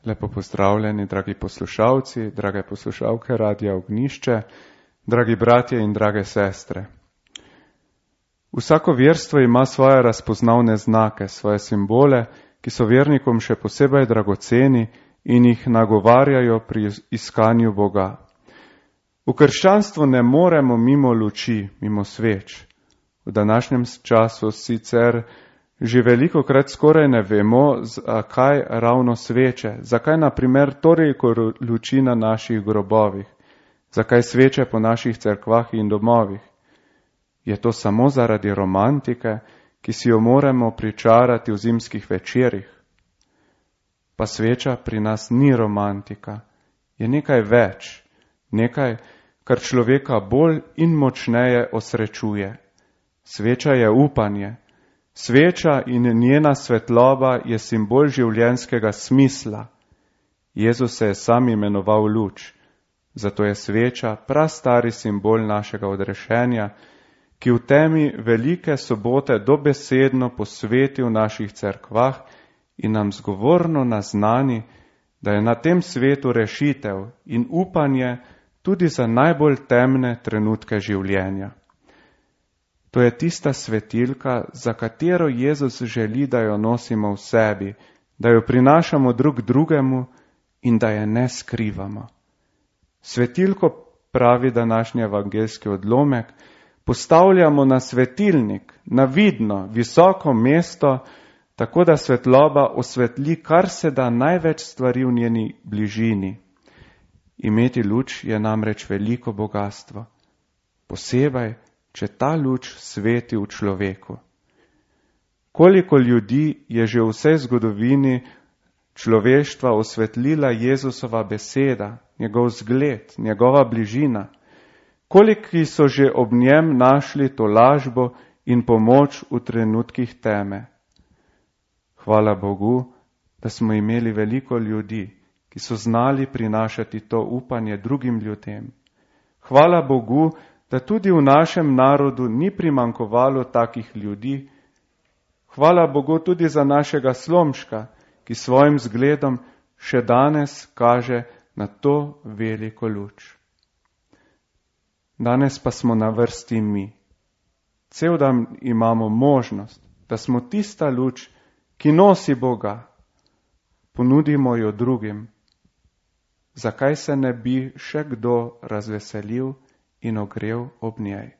Lepo pozdravljeni, dragi poslušalci, drage poslušalke Radia Ognjišče, dragi bratje in drage sestre. Vsako verstvo ima svoje razpoznavne znake, svoje simbole, ki so vernikom še posebej dragoceni in jih nagovarjajo pri iskanju Boga. V krščanstvu ne moremo mimo luči, mimo sveč. V današnjem času sicer že velikokrat skoraj ne vemo, zakaj ravno sveče, zakaj na primer toliko luči na naših grobovih, zakaj sveče po naših cerkvah in domovih. Je to samo zaradi romantike, ki si jo moramo pričarati v zimskih večerih? Pa sveča pri nas ni romantika, je nekaj več, nekaj, kar človeka bolj in močneje osrečuje. Sveča je upanje. Sveča in njena svetloba je simbol življenjskega smisla. Jezus se je sam imenoval luč, zato je sveča prastari simbol našega odrešenja, ki v temi velike sobote dobesedno posveti v naših cerkvah in nam zgovorno naznani, da je na tem svetu rešitev in upanje tudi za najbolj temne trenutke življenja. To je tista svetilka, za katero Jezus želi, da jo nosimo v sebi, da jo prinašamo drug drugemu in da je ne skrivamo. Svetilko, pravi današnji evangeljski odlomek, postavljamo na svetilnik, na vidno, visoko mesto, tako da svetloba osvetli kar se da največ stvari v njeni bližini. Imeti luč je namreč veliko bogastvo. Posebej, če ta luč sveti v človeku. Koliko ljudi je že v vsej zgodovini človeštva osvetlila Jezusova beseda, njegov zgled, njegova bližina? Koliki so že ob njem našli to lažbo in pomoč v trenutkih teme? Hvala Bogu, da smo imeli veliko ljudi, ki so znali prinašati to upanje drugim ljudem. Hvala Bogu, da tudi v našem narodu ni primanjkovalo takih ljudi. Hvala Bogu tudi za našega Slomška, ki svojim zgledom še danes kaže na to veliko luč. Danes pa smo na vrsti mi. Cel dan imamo možnost, da smo tista luč, ki nosi Boga. Ponudimo jo drugim. Zakaj se ne bi še kdo razveselil in ogrel ob njej?